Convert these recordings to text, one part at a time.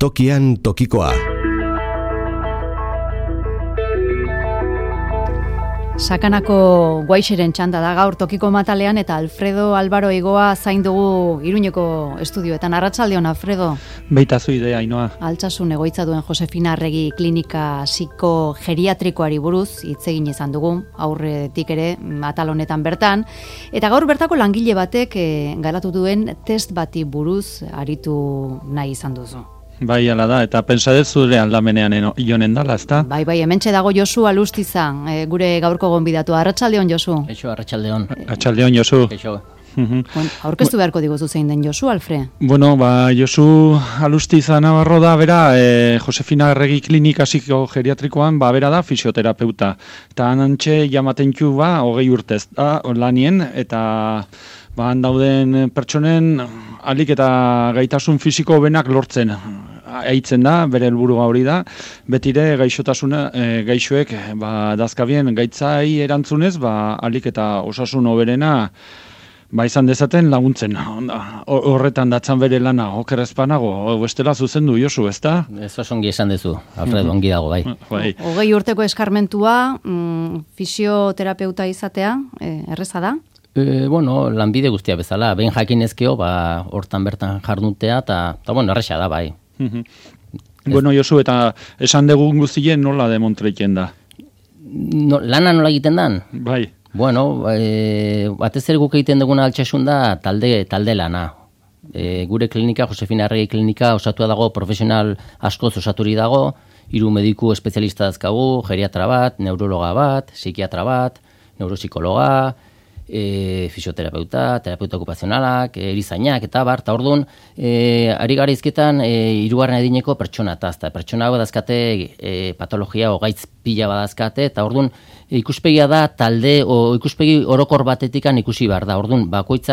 Tokian tokikoa. Sakanako Guaixeren txanda da gaur tokiko matalean eta Alfredo Albaro Igoa zain dugu Iruñeko estudioetan. Arratsaldeon, Alfredo. Beitazu idea, Ainoa. Altsasun egoitza duen Josefina Arregi klinika psikogeriatrikoari buruz hitz egin izan dugu, aurretik ere atal honetan bertan. Eta gaur bertako langile batek garatu duen test bati buruz aritu nahi izan duzu. Bai, ala da, eta pentsadet zure aldamenean ionen dala, ezta? Bai, hementxe dago Josu Alustiza, gure gaurko gonbidatu. Arratsaldeon, Josu. Eixo, arratsaldeon. Arratsaldeon, Josu. Eixo. Aurkeztu beharko diguzu zein den Josu, Alfre? Bueno, Josu Alustiza Navarro da, bera, Josefina Arregi klinika psikogeriatrikoan, bera da fisioterapeuta. Eta anantxe jamatentxu 20 urtez da, lanien, eta han dauden pertsonen alik eta gaitasun fisiko benak lortzen aitzen da, bere helburua hori da, betire gaixoek dazkabien gaitzai erantzunez, alik eta osasun hoberena izan dezaten laguntzen. Horretan datzan bere lana, okerrezpanago, bestela zuzendu, Josu, ezta? Ez osongi esan dezu, Alfredo, ongi dago, bai. 20 urteko eskarmentua, fisioterapeuta izatea, erreza da? Bueno, lanbide guztia bezala, behin jakinezkeo, hortan bertan jarnutea, eta erresa da, bai. Bueno, Josu, eta esan dugun guztien nola demontreiken da? Lana nola egiten dan? Bai. Bueno, batez ere guk egiten duguna altsasun da talde lana. Gure klinika, Josefina Arregi klinika, osatua dago, profesional askoz osaturi dago, 3 mediku espezialista dazkagu, geriatra bat, neurologa bat, psikiatra bat, neuropsikologa, fisioterapeuta, terapeuta okupazionalak, erizainak eta eta orduan, ari gara izketan, 3. adineko pertsona eta pertsona badazkate patologia o gaitz pila badazkate, eta orduan ikuspegia da talde o ikuspegi orokor batetikan ikusi behar da. Orduan,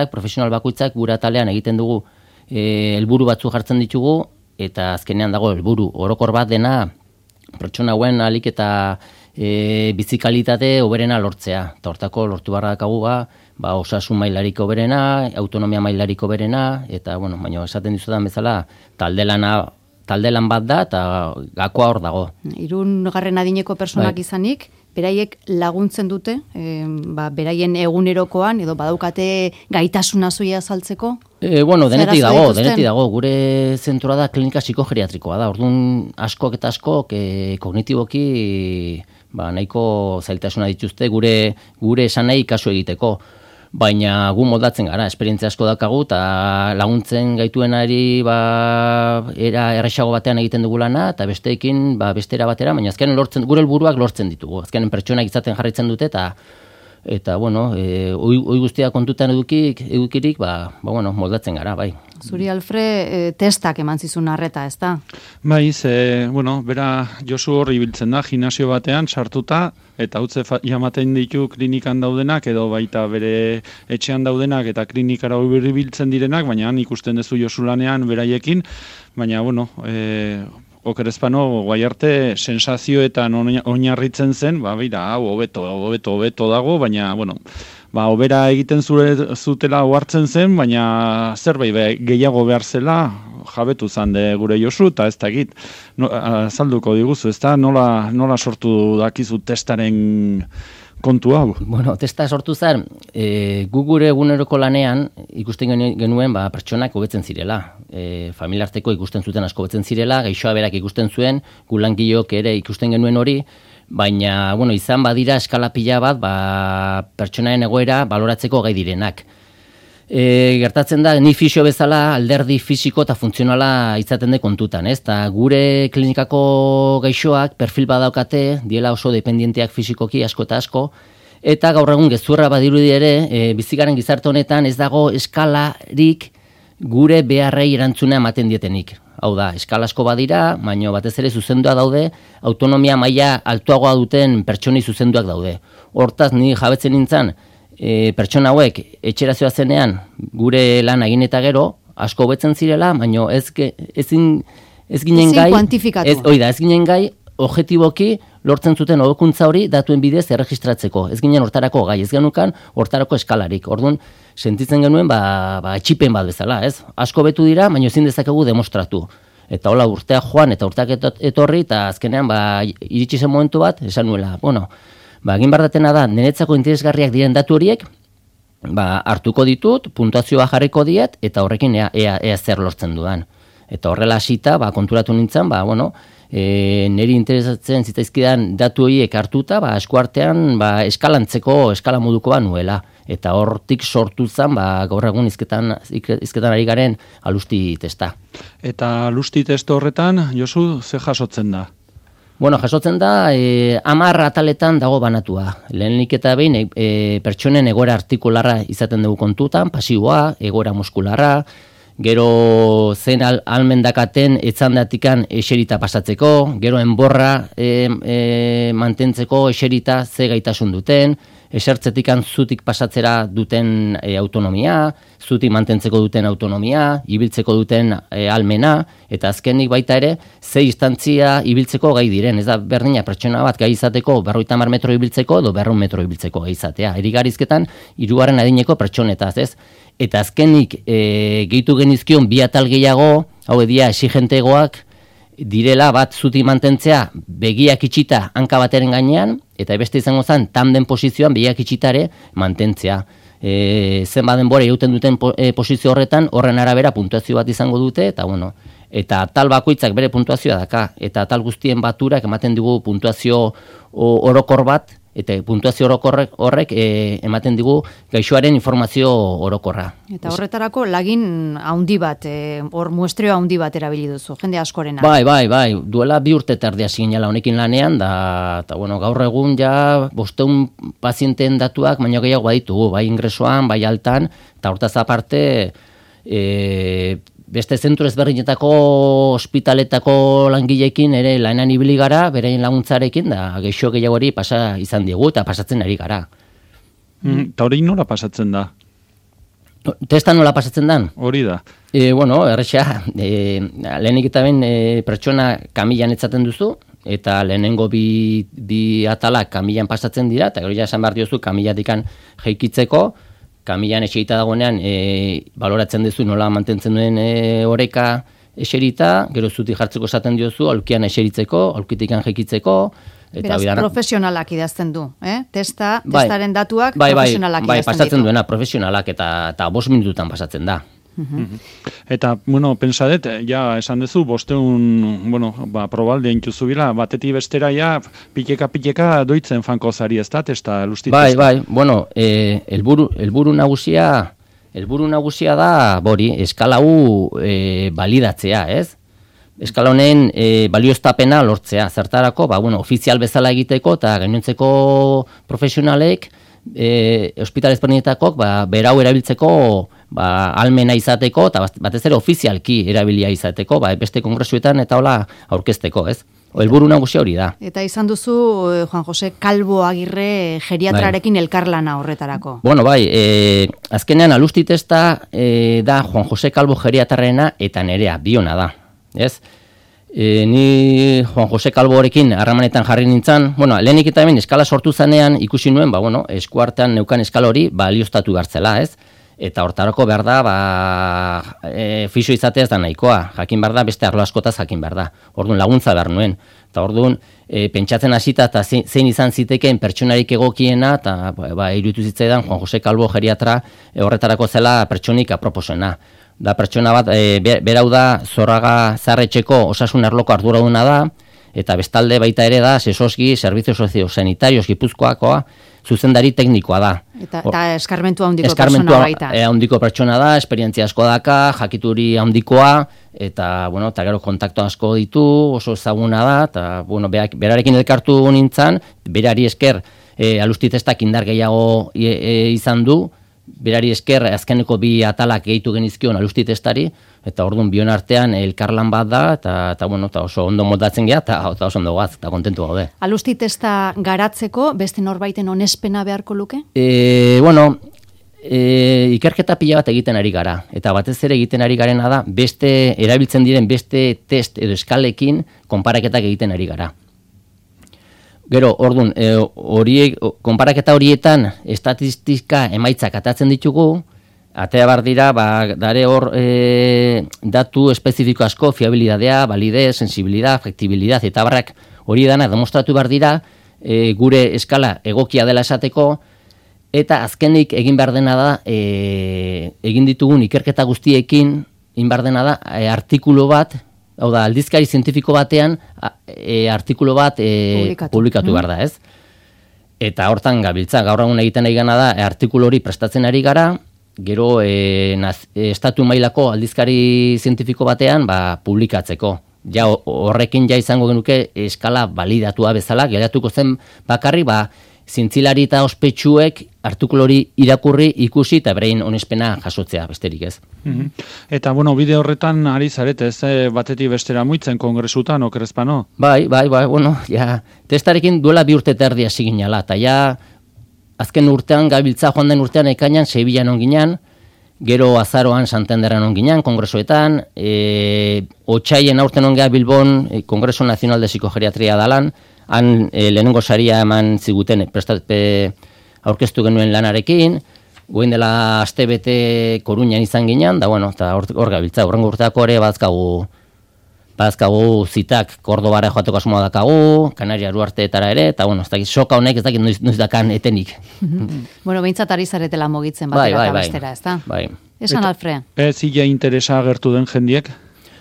profesional bakoitzak gure atalean egiten dugu helburu batzu jartzen ditugu, eta azkenean dago helburu orokor bat dena pertsona hauen alik eta bizikalitate hoberena lortzea. Eta hortako lortu barra dakagu osasun mailariko hoberena, autonomia mailariko hoberena, eta baina esaten dizudan bezala talde lan bat da eta gakoa hor dago. 3. adineko personak izanik, beraiek laguntzen dute, beraien egunerokoan, edo badaukate gaitasuna zuia azaltzeko? Denetik dago. Gure zentroa da klinika psikogeriatrikoa da. Orduan askok eta askok kognitiboki nahiko zailtasuna dituzte gure esanai kasu egiteko. Baina gu moldatzen gara, esperientzia asko dakagu, eta laguntzen gaituenari era erresago batean egiten dugu lana, eta besteekin bestera batera, baina azkenen gure helburuak lortzen ditugu. Azkenen pertsonak izaten jarraitzen dute, eta oi guztia kontutan edukirik, moldatzen gara, bai. Zuri, Alfre, testak eman zizun arreta, ez da? Bai, bera Josu hor ibiltzen da, gimnasio batean sartuta, eta utze jamaten ditu klinikan daudenak, edo baita bere etxean daudenak, eta klinikara ibiltzen direnak, baina ikusten duzu Josu lanean beraiekin, baina, okerezpano, guai arte, sensazioetan oinarritzen zen, hau hobeto dago, baina, obera egiten zutela ohartzen zen, baina zerbait gehiago behar zela, jabetu zan de gure Josu, eta ez dakit, azalduko diguzu, ez da, nola sortu dakizu testaren kontu hau? Testa sortu zen, gu gure eguneroko lanean ikusten genuen pertsonak hobetzen zirela. Familiarteko ikusten zuten asko hobetzen zirela, gaixoa berak ikusten zuen, gu langileok ere ikusten genuen hori, baina izan badira eskala pila bat pertsonaen egoera baloratzeko gai direnak. Gertatzen da, ni fisio bezala alderdi fisiko eta funtzionala izaten de kontutan, ez? Ta gure klinikako gaixoak perfil badaukate, diela oso dependienteak fisikoki asko eta asko, eta gaur egun gezurra badirudi ere, bizigaren gizarte honetan ez dago eskalarik gure beharrei erantzuna ematen dietenik. Hau da, eskala asko badira, baina batez ere zuzendua daude, autonomia maila altuagoa duten pertsonei zuzenduak daude. Hortaz, ni jabetzen nintzen, pertsona hauek etxerazioa zenean gure lan egin eta gero asko hobetzen zirela, baina ez ginen gai, ez ginen gai objektiboki lortzen zuten hobekuntza hori datuen bidez erregistratzeko. Ez ginen hortarako gai, ez genukan hortarako eskalarik. Orduan, sentitzen genuen etxipen bat bezala, ez? Asko betu dira, baina ezin dezakegu demostratu. Eta hola urteak joan eta urteak etorri, eta azkenean iritsi zen momentu bat, esan nuela, egin bardatena da, niretzako interesgarriak diren datu horiek, hartuko ditut, puntuazioa jarriko diet, eta horrekin ea zer lortzen dudan. Eta horrela hasita, konturatu nintzen, niri interesatzen zitzaizkidan datu horiek hartuta, eskuartean eskala modukoa nuela. Eta hortik sortu zen, gaur egun izketan ari garen alusti testa. Eta alusti testa horretan, Josu, ze jasotzen da? Jasotzen da, 10 ataletan dago banatua. Lehenik eta behin, pertsonen egoera artikularra izaten dugu kontutan, pasiboa, egoera muskularra, gero zen almendakaten etzandatikan eserita pasatzeko, gero enborra mantentzeko eserita ze gaitasun duten, esertzetikan zutik pasatzera duten autonomia, zutik mantentzeko duten autonomia, ibiltzeko duten almena, eta azkenik baita ere, ze instantzia ibiltzeko gai diren. Ez da berdina pertsona bat gai izateko 50 metro ibiltzeko edo 200 metro ibiltzeko gai izatea. Erigarizketan, 3. adineko pertsonetaz, ez? Eta azkenik gehitu genizkion 2 atal gehiago, hau edia exigentegoak, direla bat zuti mantentzea begiak itxita hanka bateren gainean, eta beste izango zen tanden posizioan begiak itxitare mantentzea. Zenbat denbora egiten duten posizio horretan, horren arabera puntuazio bat izango dute, eta atal bakoitzak bere puntuazioa daka, eta atal guztien baturak ematen digu puntuazio orokor bat, eta puntuazio horrek ematen digu gaixoaren informazio orokorra. Eta horretarako lagin handi bat, hor muestreo handi bat erabili duzu, jende askorena. Bai, duela 2 urte eta erdi hasi ginela honekin lanean, eta gaur egun 500 pazienteen datuak baino gehiago baditugu, bai ingresoan, bai altan, eta hortaz aparte, beste zentru ezberdinetako ospitaletako langileekin ere lanean ibili gara, beraien laguntzarekin, da geixo gehiagori pasa izan diegu eta pasatzen ari gara. Eta hori nola pasatzen da? Testa nola pasatzen dan? Hori da. Erresa, lehenik eta ben pertsona kamilan etzaten duzu, eta lehenengo bi atalak kamilan pasatzen dira, eta gero esan behar diozu kamilatikan jeikitzeko, kamilan eserita dagoenean baloratzen duzu nola mantentzen duen oreka eserita, gero zuti jartzeko esaten diozu, aulkian eseritzeko, aulkitikan jekitzeko. Beraz, profesionalak idazten du, testaren datuak profesionalak idazten ditu. Bai, pasatzen duena profesionalak eta 5 minututan pasatzen da. Eta, pensadet, esan duzu, 500, probalde intuzu bila, batetik bestera, piteka doitzen fanko zari ez da, testa lusti testa. Bai, helburu nagusia da, eskala hau balidatzea, ez? Eskala honen balioztapena lortzea, zertarako, ofizial bezala egiteko, eta gainontzeko profesionalek, ospital ezberdinetakok berau erabiltzeko almena izateko eta batez ere ofizialki erabilia izateko beste kongresuetan eta hola aurkezteko, ez? Helburu nagusia hori da. Eta izan duzu Juan Jose Calvo Agirre geriatrarekin elkarlana horretarako. Azkenean alusti testa da Juan Jose Calvo geriatrarena eta nerea biona da, ez? Ni Juan Jose Calvorekin harremanetan jarri nintzen, lehenik eta hemen eskala sortu zanean ikusi nuen, eskuartean neukan eskala hori balioztatu gartzela, ez? Eta hortarako behar da, fixo izatea ez da nahikoa, jakin behar da, beste arlo askotaz jakin behar da. Orduan laguntza behar nuen. Eta orduan, pentsatzen hasita eta zein izan zitekeen pertsonarik egokiena, eta iruditu zitzaidan Juan Jose Calvo geriatra horretarako zela pertsonik aproposena. Da pertsona bat, berau da Zorraga Zaharretxeko osasun arloko arduraduna da, eta bestalde baita ere da Sesoski Servizio Soziosanitarios Gipuzkoakoa zuzendari teknikoa da. Eta eskarmentu handiko pertsona baita. Handiko pertsona da, esperientzia asko daka, jakituri handikoa, eta gero kontakto asko ditu, oso ezaguna da, eta berarekin elkartu nintzen, berari esker alusti testak indar gehiago izan du, berari esker azkeneko 2 atalak gehitu genizkion alusti testari, eta orduan bion artean elkarlan bat da, eta oso ondo moldatzen geha, eta oso ondo gaz, eta kontentu gaude. Alusti testa garatzeko beste norbaiten onespena beharko luke? Ikerketa pila bat egiten ari gara, eta batez ere egiten ari garena da, erabiltzen diren beste test edo eskalekin konparaketak egiten ari gara. Gero, orduan, konparaketa horietan estatistika emaitzak atatzen ditugu, atea bar dira, dare hor datu espezifiko asko, fiabilidadea, validez, sensibilidad, factibilidad, eta barrak hori dana demostratu bar dira, gure eskala egokia dela esateko, eta azkenik egin behar dena da, egin ditugun ikerketa guztiekin, egin behar dena da, artikulu bat, hau da, aldizkari zientifiko batean, artikulu bat publikatu behar da, ez? Eta hortan gabiltza, gaur egun egiten ari gana da, artikulu hori prestatzen ari gara, gero estatu mailako aldizkari zientifiko batean publikatzeko. Ja horrekin ja izango genuke eskala balidatua bezala, geratuko zen bakarri, zientzilari eta ospetsuek artikulu hori irakurri, ikusi eta berein onespena jasotzea, besterik ez. Eta, bide horretan ari zarete, ez batetik bestera muitzen kongresutan, okerrezpano? Bai, testarekin duela 2 urte eta erdi hasi ginala, eta azken urtean, gabiltza joan den urtean ekainan, Sevillan onginan, gero azaroan Santanderren onginan, kongresuetan, otsaien aurten ongea Bilbon, Kongreso Nazional de Psikogeriatria dalan, han lehenengo saria eman ziguten aurkeztu genuen lanarekin, goen dela astebete Koruñan izan ginen, da eta hor gabiltza, horrengo urteako ere bazkagu zitak Kordobara joateko asmoa dakagu, Kanaria Uarteetara ere, eta ez dakit soka honek ez dakit noiz dakan etenik. Behintzat ari zaretela mugitzen batera eta bestera, ez da? Bai. Esan Alfre. Ez ia interesa agertu den jendiek?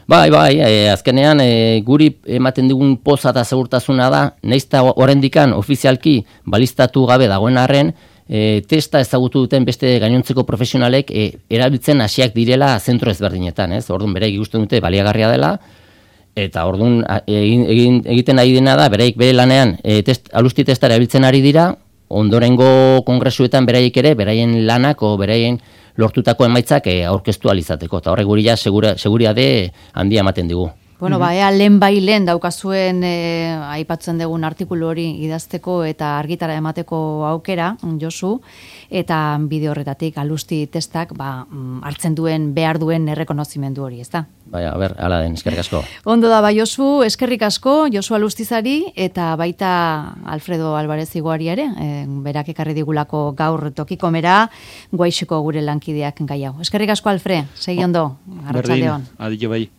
Azkenean guri ematen digun poza eta segurtasuna da, naizta oraindikan ofizialki balistatu gabe dagoen arren, testa ezagutu duten beste gainontzeko profesionalek erabiltzen hasiak direla zentro ezberdinetan, ez? Orduan bereik ikusten dute baliagarria dela, eta orduan egiten ari dena da, bereik bere lanean alusti testa erabiltzen ari dira, ondorengo kongresuetan beraiek ere, beraien lanak o beraien lortutako emaitzak aurkeztu alizateko, eta horrek guri seguriade handia ematen digu. Ea lehen daukazuen aipatzen dugun artikulu hori idazteko eta argitara emateko aukera, Josu, eta bideo horretatik alusti testak hartzen duen, behar duen errekonozimendu hori, ez da? Hala den, eskerrik asko. Ondo da, Josu, eskerrik asko, Josu Alustizari, eta baita Alfredo Alvarez Iguari ere, berak ekarri digulako gaur tokikomera, Guaixiko gure lankideak gai hau. Eskerrik asko, Alfre, segi ondo, arratsaldeon. Berdin, adio bai.